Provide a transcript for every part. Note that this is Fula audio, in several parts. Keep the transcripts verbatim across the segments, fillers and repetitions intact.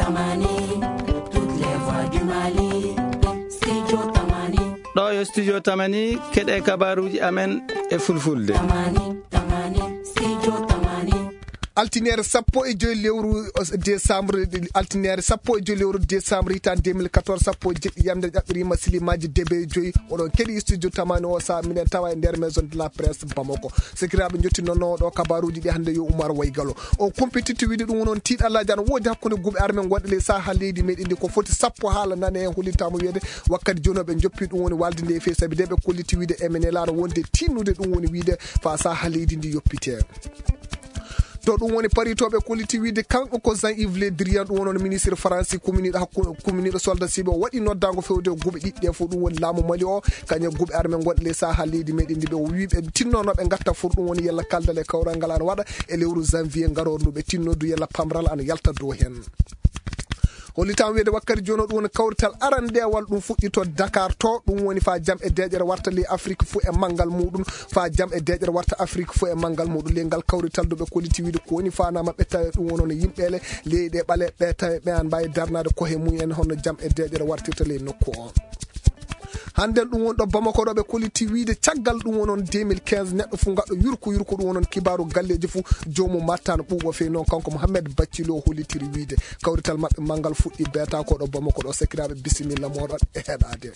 Tamani, toutes les voix du Mali. Studio Tamani. Ɗo yo Studio Tamani, keɗe kabaruji amen e fulfulde. Tamani, Tamani, Studio Tamani. Altiniere sappo e joyi lewru décembre, altiniere sappo e joyi lewru décembre hitan deux mille quatorze, sappo e jeɗɗi yamde ƴaɓɓirima silimaji debe joyi. Oɗon keɗi Studio Tamani o sa minen tawa e nder maison de la presse Bamako. Sekiraaɓe, jottinnono ɗo kabaruuji ɗi hannde yo Umar Waygalo. On kumpititti wiide ɗum woni on tiiɗallaaji ana woodi hakkunde guuɓe arme gonɗe ley saha leydi meɗen ndi. Ko foti sappo haala nane heen, hollitaama wiyeede wakkati jooni ɓe joppi ɗum woni walde nde e feewi, sabi nde ɓe kolliti wiide M N L A ana wonde tinnude ɗum woni wiide fa saha leydi ndi yoppite. To ɗum woni paritooɓe kolliti wiide kanko ko Jean Yves Le Drian, ɗum woni on ministre Faransi kuminiiɗo hakkunde, kuminiiɗo soldat siɓe o waɗi noddaango fewde guuɓe ɗiɗi ɗe fof, ɗum woni laamu Mali o. Kañum e guuɓe arme gonɗe ley saha leydi meɗen ndi, ɓe o wi ɓe tinnono ɓe gatta fur, ɗum woni yalla kaldal e kawral ngal ana waɗa e lewru janvier ngarooru ndu, ɓe tinno du yalla pamral ana yalta dow heen. Hollitam wiide wakkati jooni o ɗum woni kawrital arandewal ɗum fuɗɗi to Dakar to, ɗum woni fa jam e deeƴere warta ley Afrique fuu e manngal muɗum, fa jam e deeƴere warta Afrique fuu e manngal muɗum. Ley ngal kawrital du ɓe kolliti wiide ko woni faanaa maɓɓe tawe ɗum woni hono yimɓe le leyɗe ɓale ɓe tawe ɓe an mbaawi darnaade kohe mum en hono jam e deeƴere wartirta ley nokku o. Hannden ɗum woni ɗo Bamako ɗo ɓe kolliti wiide caggal ɗum wonon deux mille quinze neɗɗo fof ngaɗɗo yurko yurko ɗum wonon kibaaru galleeji fof joomum mattano ɓuuɓo feewi noon kanko Mohamed Baccilo hollitiri wiide kawrital maɓɓe manngal fuɗɗi beeta ko ɗo Bamako ɗo. Sekiraaɓe, bisimilla mooɗon e heɗaade.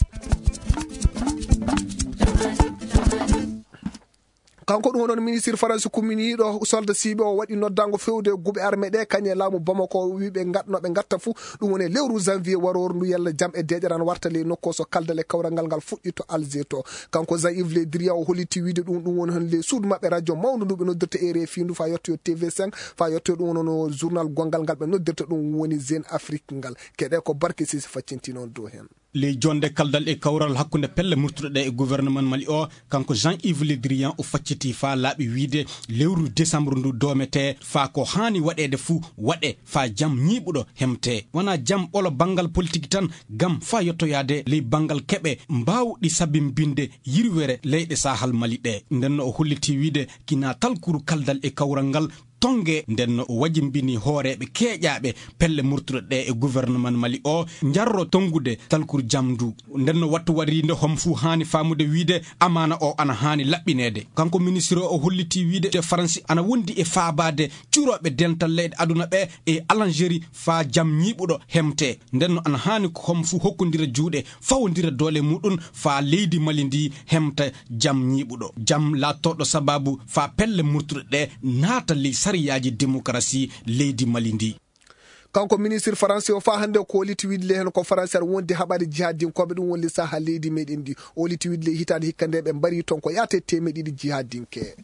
Kanko ɗum woni ministre Faransi kuminiiɗo solda siiɓe o waɗi noddaango fewde guuɓe arme ɗe kañum e laamu Bamako o wi ɓe ngatno ɓe ngatta fuu ɗum woni e lewru janvier warooru ndu yalla jam e deeƴere ana warta ley nokku o so kaldal e kawral ngal ngal fuɗɗi to Alger to. Kanko Jean Yves Le Drian o holliti wiide ɗum ɗum woni hon ley suudu maɓɓe radio mawndu ndu ɓe noddirta R F I ndu fa yettoyo T V cinq fa yettoyo ɗum woni no journal gongal ngal ɓe noddirta ɗum woni Jeune Afrique ngal. Keɗe ko Barke Sisi faccintino on dow heen. Ley jonde kaldal e kawral hakkunde pelle murtuɗe ɗe e gouvernement Mali o, kanko Jean Yves Le Drian o facciti faa laaɓi wiide lewru décembre ndu doomete faa ko haani waɗeede fuu waɗe faa jam ñiiɓuɗo hemte. Wonaa jam ɓolo banngal politik tan, ngam faa yottoyaade ley banngal keɓe mbaawɗi sabimbinde yirwere leyɗe Sahal Mali ɗe. Nden no o holliti wiide kinaa talkuru kaldal e kawral ngal tonge nden no o wajimbini hooreeɓe keeƴaaɓe pelle murtuɗe ɗe e gouvernement Mali o njarro tongude talkuru jam ndu. Nden no wattu warinde hom fuu haani faamude wiide amaana o ana haani laɓɓineede. Kanko ministre o holliti wiide te Faransi ana wondi e faabaade curooɓe dental leyɗe aduna ɓe e Algérie faa jam ñiiɓuɗo hemte. Nden no ana haani ko hom fuu hokkondira juuɗe fawondira doole muɗum faa leydi Mali ndi hemta jam ñiiɓuɗo, jam laattoɗo sababu faa pelle murtuɗe ɗe naata ley sariyaaji demokarasi leydi Mali ndi. Kanko ministre Faransi o faa hannde o ko holiti wiide ley heen ko Faransi aɗa wondi haɓaade jihadinkooɓe ɗum woni ley saha leydi meɗen ndi. O holiti wiide ley hitaande hikka nde ɓe mbari toon ko yaate teemeɗe ɗiɗi jihadinke.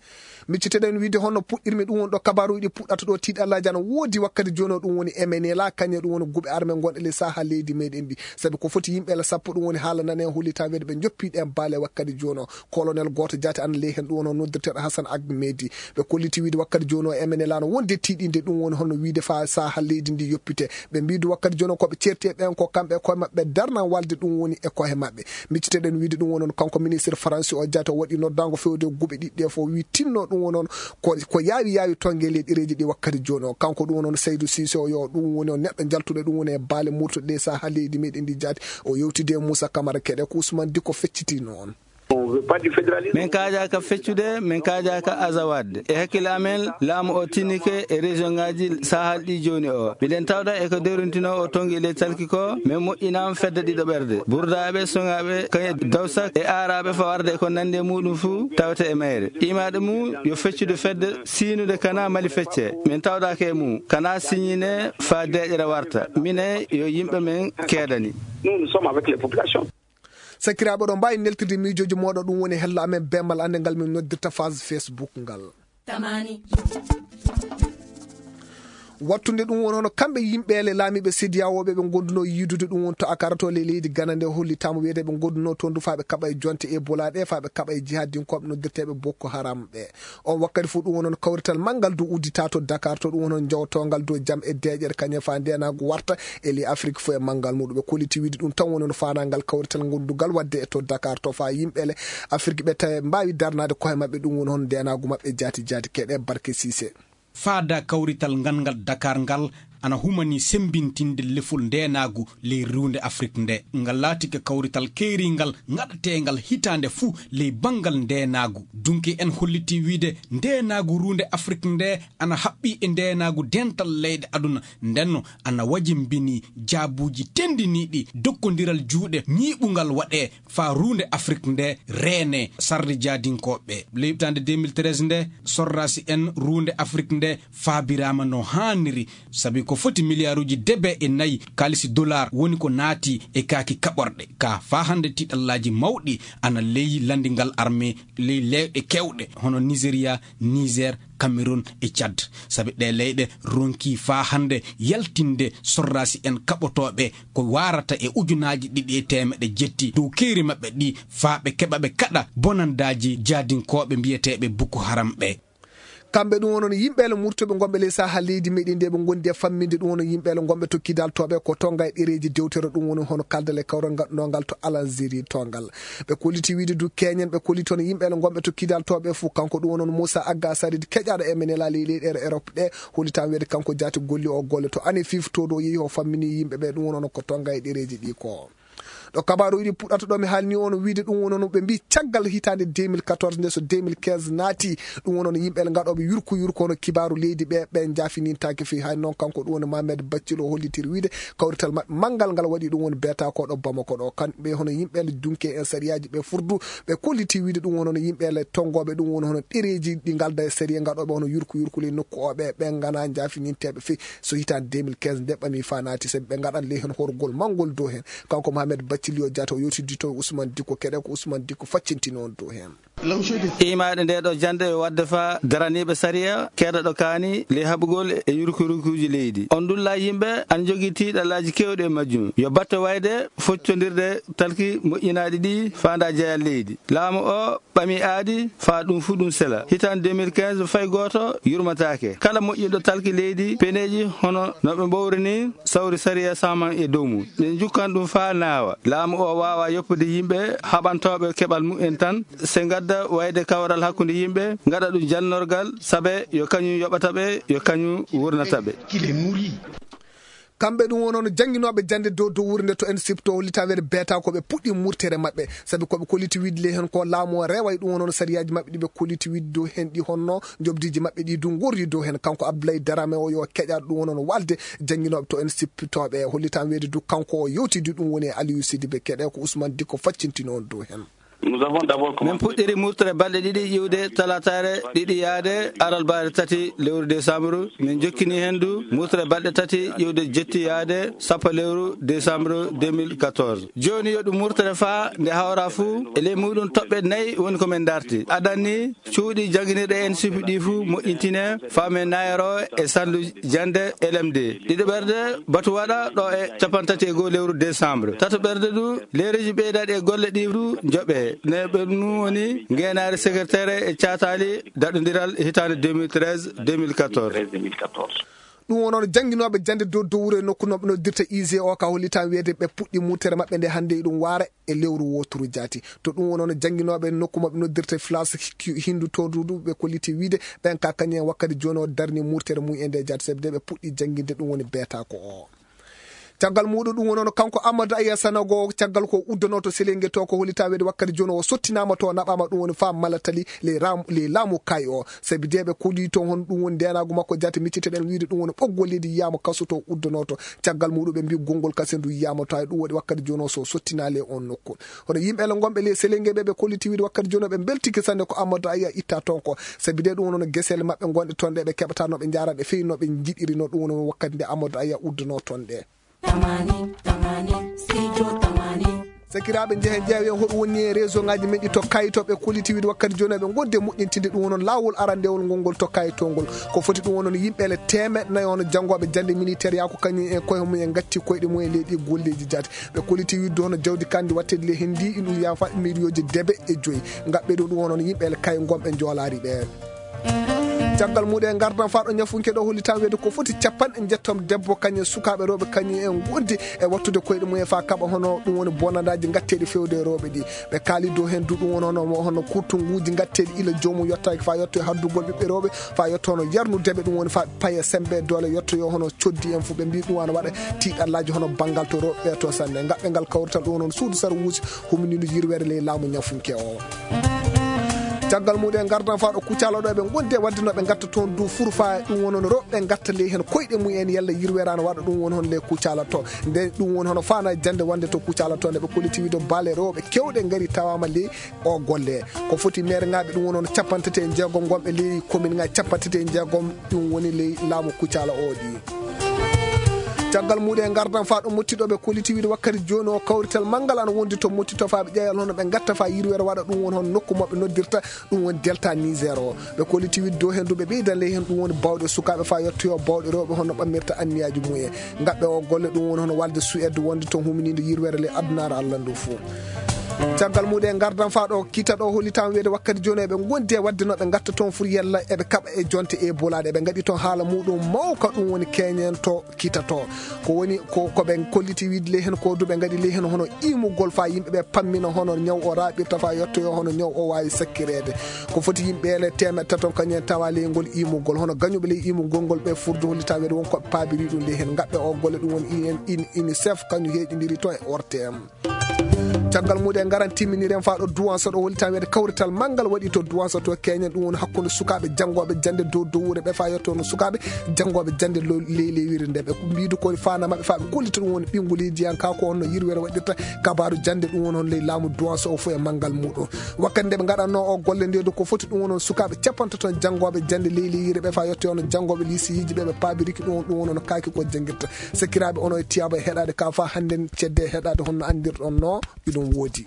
Micciteɗen wiide honno puɗɗirmi ɗum woni ɗo kabaruuji ɗi puɗɗata ɗo tiiɗallaaji ana woodi wakkati jooni o ɗum woni M N L A kañum e ɗum woni guuɓe arme gonɗe ley saha leydi meɗen ndi. Sabi ko foti yimɓe la sappo ɗum woni haala nane hollitaa wiide ɓe njoppi ɗen baale wakkati jooni o. Colonel gooto jaati ana ley heen ɗum woni o noddirteeɗo Hassan Ahmedi. Ɓe kolliti wiide wakkati jooni o M N L A no wonde tiiɗinde ɗum woni hono wiide faa saha leydi ndi yoppite. Ɓe mbiidu wakkati jooni o ko ɓe ceerti e ɓen ko kamɓe e koye maɓɓe darnan walde ɗum woni e koye maɓɓe. Micciteɗen wiide ɗum woni on kanko ministre Faransi o jaati o waɗi noddaango fewde guuɓe ɗiɗi ɗe fof wi tinno ɗum woni on ko, ko yaawi yaawi tonge ley ɗereeji ɗi wakkati jooni o. Kanko ɗum woni on Seydou Cissé o yo ɗum woni on neɗɗo jaltuɗo ɗum woni e baale murtuɗe ɗe saha leydi meɗen ndi jaati. O yewtidi e Moussa Camara Keɗe ko Ousmane Diko feccitino on. Min kaajaka feccude, min kaajaka azawadde. E hakkille amen, laamu o tinike e région ngaji sahal ɗi jooni o. Miɗen tawda e ko dewrintino o tongi ley talki ko, min moƴƴinama fedde ɗiɗo ɓerde. Burdaaɓe, soŋaaɓe, kañe dawsak e aaraaɓe fawarde e ko nandi e muɗum fuu, tawete e mayre. Imaɗo mum yo feccude fedde siinude kana Mali fecce. Min tawdaka e mum, kana siñine faa deeƴere warta. Mine yo yimɓe men keedani. Nous, nous sommes avec les populations. Sakiraaɓe, oɗon mbaawi neltirde miijooji mooɗon, ɗum woni hello amen beemal annde ngal min noddirta phase Facebook ngal. Tamani. Wattunde ɗum woni hono kamɓe yimɓe le laamiiɓe sediyawo ɓe ɓe ngondunoo yiidude ɗum woni to Akara to ley leydi Gana nde hollitaama wiyete ɓe ngondunoo toon du faa ɓe kaɓa e jonte Ebola ɗe, faa ɓe kaɓa e jihadinkooɓe noddirteeɓe Boko Haram ɓe. On wakkati fof ɗum woni hono kawrital manngal du udditaa to Dakar to, ɗum woni hono jowtoongal dow jam e deeƴere kañum e faa ndeenaagu warta e ley Afrik fof e manngal muɗum. Ɓe kolliti wiide ɗum tan woni hono faanaa ngal kawrital ngondungal waɗde e to Dakar to faa yimɓe le Afrik ɓe tawe mbaawi darnaade koye maɓɓe, ɗum woni hono ndeenaagu maɓɓe jaati jaati. Keɗe Barke Siise. Faada kawrital ngal ngal Dakar ngal ana humanii semmbintinde lefol ndeenaagu ley ruunde Afrik ndee. Ngal laatike kawrital keeringal ngaɗateengal hitaande fuu ley banngal ndeenaagu. Dunke en hollitii wiyde ndeenaagu ruunde Afrik ndee ana haɓɓii e ndeenaagu dental leyɗe aduna, ndenno ana wajimbinii jaabuuji tenndiniiɗi dokkondiral juuɗe ñiiɓungal waɗee faa ruunde Afrik ndee reenee sarde jaadinkooɓe. Ley hitaande deux mille treize ndee, sordaasi en ruunde Afrik ndee faabiraama no haaniri, sabi ko foti miliyaaruuji debe e nayi kaalisi dolaar woni ko naati e kaaki kaɓorɗe. Kaa faa hannde tiiɗallaaji mawɗi ana ley lanndingal armee ley leyɗe keewɗe, hono Nizeriyaa, Niiseer, Kamerun e Cad. Sabi ɗee leyɗe ronkii faa hannde yaltinde sordaasi en kaɓotooɓe ko waarata e ujunaaji ɗiɗi e teemeɗɗe jetti dow keeri maɓɓe ɗi, faa ɓe keɓa ɓe kaɗa bonandaaji jaadinkooɓe mbiyeteeɓe Boko Haram ɓee. Kamɓe ɗum wonno yimɓe le murtuɓe gonɓe ley Sahel leydi meɗen ndi, ɓe ngondi e famminde ɗum wonno yimɓe le gonɓe to kidal toɓe ko tonga e ɗereeji dewtere ɗum woni hono kaldal e kawral ngal ɗo ngal to Algérie tongal. Ɓe kolliti wiide du keñen, ɓe kolliti hono yimɓe le gonɓe to kidal toɓe fof, kanko ɗum wonno Moussa Agga Sarid keƴaɗo e men e laalii leyɗe Europe ɗe, hollitan weede kanko jaati golli o golle to ane fif to ɗo yehi o fammini yimɓe ɓe ɗum wonno ko tonga e ɗereeji ɗi ko. Ɗo kabaaruuji ɗi puɗɗata ɗo mi haalni on wiide ɗum wonno ɓe mbi caggal hitaande deux mille quatorze nde so deux mille quinze naati, ɗum wonno yimɓe le ngaɗooɓe yurku yurku hono kibaaru leydi ɓe, ɓe njaafinintaake fii. Hay noon kanko ɗum woni Mohamed Baccilo hollitiri wiide kawrital maɓɓe manngal ngal waɗi ɗum woni beeta ko ɗo Bamako ɗo. Kamɓe hono yimɓe le dunke en sariyaaji ɓe furdu, ɓe kolliti wiide ɗum wonno yimɓe le tongooɓe ɗum woni hono ɗereeji ɗi ngalda e sariya ngaɗooɓe hono yurku yurku ley nokku o ɓe, ɓe ngana njaafininteeɓe fii. So hitaande deux mille quinze nde ɓami faa naati, sabi ɓe ngaɗan ley heen horgol manngol dow heen. Kanko Mohamed Baccilio Diatta o yewtidii toon Ousmane Dicko, keɗe ko Ousmane Dicko faccintini on dow heen. Imaade nde ɗo jannde yo waɗde faa daraniiɓe sariya keeda ɗo kaani ley haɓugol e yurkurukuuji leydi. On ndulla yimɓe ana njogii tiiɗallaaji keewɗi e majjum. Yo batte wayde foccondirde talki moƴƴinaaɗi ɗi faandaa jeyal leydi. Laamu o ɓami aadi faa ɗum fuu ɗum sela. Hitaande deux mille quinze fay gooto yurmataake. Kala moƴƴinɗo talki leydi, peneeji hono no ɓe mbowri ni, sawri sariya saman e dow mum. Ɓe njukkan ɗum faa naawa. Laamu o waawa yoppude yimɓe haɓantooɓe keɓal mumen tan, se ngadda wayde kawral hakkunde yimɓe, ngaɗa ɗum jannorgal, sabe yo kañum yoɓata ɓe, yo kañum wurnata ɓe. Kamɓe ɗum wonno jannginooɓe jannde dow dow wuurnde to en sipto hollitaa weede beeta ko ɓe puɗɗi murtere maɓɓe, sabi ko ɓe kolliti wiide ley heen ko laamu o reway ɗum wonno sariyaaji maɓɓe ɗi ɓe kolliti wiide dow heen ɗi honno njoɓdiiji maɓɓe ɗi du ngorri dow heen. Kanko Abdoulaye Darame o yo keƴaɗo ɗum wonno waalde jannginooɓe to en sippitooɓe hollitaa weede du kanko o yewtidi ɗum woni e Aliou Sidibé keɗe ko Ousmane Dicko faccintini on dow heen. Nous avons d'abord Min commencé puɗɗiri murtere balɗe ɗiɗi iwde talataare ɗiɗi yaade alarbaare tati lewru décembre. Min jokkini heen du murtere balɗe tati iwde jetti yaade sappo lewru décembre deux mille quatorze. Jooni yo ɗum murtere faa nde hawra fuu e ley muɗum toɓɓe nayi woni ko min darti. Adanni cuuɗi jannginirɗe en sipi ɗi fuu moƴƴintine faa min nayro e sandu jannde L M D. Ɗiɗo ɓerde batu waɗa ɗo e capanɗe tati e goo lewru décembre. Tato ɓerde du leereji ɓeydaɗi e golle ɗi du njoɓe. Ne ɓe ɗum woni ngeenaari secrétaire e caataali daɗondiral hitaande deux mille treize deux mille quatorze. Ɗum wonno jannginooɓe jannde dow dow wuro e nokku no ɓe noddirta I G O ka hollitaa weede ɓe puɗɗi murtere maɓɓe nde hannde eɗum waara e lewru wooturu jaati. To ɗum wonno jannginooɓe nokku maɓɓe noddirta Flash Hindu to du ɓe kolliti wiide ɓen ka kañum en wakkati jooni o darni murtere mum e nde jaati sabi de ɓe puɗɗi jannginde ɗum woni beeta ko o. Caggal muɗum ɗum wonno kanko Amadou Aya Sanogo caggal ko uddanoto selenge to ko hollitaa weede wakkati jooni o sottinaama to naɓaama ɗum woni faa malatali ley ram-, ley laamu kay o. Sabi de ɓe koli toon hono ɗum woni ndeenaagu makko jaati micciteɗen wiide ɗum woni ɓoggol leydi yiyaama kaso to uddanoto. Caggal muɗum ɓe mbi gonngol kasen du yiyaama to hay ɗum waɗi wakkati jooni o so sottinaa ley on nokku. Hono yimɓe le gonɓe ley selenge ɓe ɓe kolliti wiide wakkati jooni o ɓe mbeltike sanne ko Amadou Aya itta toon ko. Sabi de ɗum wonno gesele maɓɓe gonɗe toon ɗe ɓe keɓata no ɓe njaara ɗe feyi no ɓe njiɗiri no ɗum wonno wakkati nde Amadou Aya udduno toon ɗe. Tamani, tamani, studio tamani. Sakiraaɓe, njehen ƴeewen hoɗum woni e réseau ngaji men ɗi to kayitoɓe kolliti wiide wakkati jooni ɓe ngodde moƴƴintinde ɗum wonno laawol arandewol ngol ngol to kayitol ngol. Ko foti ɗum wonno yimɓe le teemeɗɗe nayi hono janngooɓe jannde militaire yaa ko kañum en koye mum en ngatti koyɗe mum e leydi golleeji jaati. Ɓe kolliti wiide hono jawdi kandi wattedi le hendi ɗum yafa miliyooji debe e joyi. Ngaɓɓe ɗo ɗum wonno yimɓe le kay gonɓe njoolaari ɓe. Caggal muuɗum en ngardan faa ɗo ñafunke ɗo hollitan weede ko foti capanɗe njetton debbo kañum e sukaaɓe rewɓe kañum en ngondi e wattude koyɗe mum e faa kaɓa hono ɗum woni bonandaaji ngatteeɗi fewde e rewɓe ɗi. Ɓe kaali dow heen du ɗum woni hono, hono kurtunguuji ngatteeɗi ila joomum yottaaki faa yotto e haddugol ɓiɓɓe rewɓe faa yotto hono yarnude ɓe ɗum woni faa paye sembe doole yotto yo hono coddi en fof ɓe mbii ɗum ana waɗa tiiɗallaaji hono banngal to rewɓe ɓe to sanne. Ngaɓɓe ngal kawrital ɗum woni hono suudu sara wuusi huminino yirwere ley laamu ñafunke o. Caggal muuɗum en ngardan faa ɗo Kucala ɗo eɓe ngondi e waɗde no ɓe ngatta toon du furu faa ɗum woni hono rewɓe ngatta ley heen koyɗe mum en yalla yirwere ana waɗa ɗum woni hono ley Kucala to. Nde ɗum woni hono faana jannde wonde to Kucala to nde ɓe kolliti wiide baale rewɓe kewɗe ngari tawaama ley o golle. Ko foti meere ŋaaɓe ɗum woni hono capanɗe tati e jeegom ngonɓe ley komin ŋaaji capanɗe tati e jeegom ɗum woni ley laamu Kucala o ɗi. Caggal muuɗum en ngardan faa ɗo Motti ɗo ɓe kolliti wiide wakkati jooni o kawrital manngal ana wondi to Motti to faa ɓe ƴeewal hono ɓe ngatta faa yirwere waɗa ɗum woni hono nokku maɓɓe noddirta ɗum woni Delta Niger o. Ɓe kolliti wiide dow heen du ɓe ɓeydan ley heen ɗum woni bawɗe sukaaɓe faa yottoyo bawɗe rewɓe hono ɓammirta anniyaaji mum en. Ngaɓɓe o golle ɗum woni hono walde Suède wonde toon huminiinde yirwere ley adunaaru Allah ndu fof. Caggal muuɗum en ngardan faa ɗo Kita ɗo hollitan weede wakkati jooni eɓe ngondi e waɗde no ɓe ngatta toon fur yalla eɓe kaɓa e jonte e bolaaɗe. Eɓe ngaɗi toon haala muuɗum mawka ɗum woni keñen to Kita to. Ko woni ko, ko ɓe kolliti wiide ley heen ko du ɓe ngaɗi ley heen hono imugol faa yimɓe ɓe pammina hono ñaw o raaɓirta faa yottoyo hono ñaw o waawi sakkireede. Ko foti yimɓe ele teemeɗɗe taton kañum en tawa ley ngol imugol. Hono gañuɓe ley imugol ngol ɓe furdu hollitan weede won ko ɓe paabiri ɗum ley heen. Ngaɓɓe o golle ɗum woni in, in, UNICEF kañum heeƴindiri toon e O R T M. Caggal muuɗum en ngaran timminiren faa ɗo Duwanso ɗo hollitan weede kawrital manngal waɗi to Duwanso to keñen ɗum woni hakkunde sukaaɓe janngooɓe jannde dow dowuure ɓe faa yotto no sukaaɓe janngooɓe jannde lo-, ley ley wirde nde ɓe mbiidu ko faana maɓɓe faa ɓe kollita ɗum woni ɓinngoliidiyanka ko honno yirwere waɗirta kabaaru jannde ɗum woni hono ley laamu Duwanso o fof e manngal muuɗum. Wakkati nde ɓe ngaɗannoo o golle nde du ko foti ɗum woni hono sukaaɓe capanɗe tati janngooɓe jannde ley ley yirde ɓe faa yotto hono janngooɓe liisiyiiji ɓe ɓe paabiriki ɗum ɗum woni hono kaaki ko janngirta. Sakiraaɓe onon e tiyaaɓe heɗaade ka faa hannden cedde e heɗaade honno anndirɗon no iɗum woodi.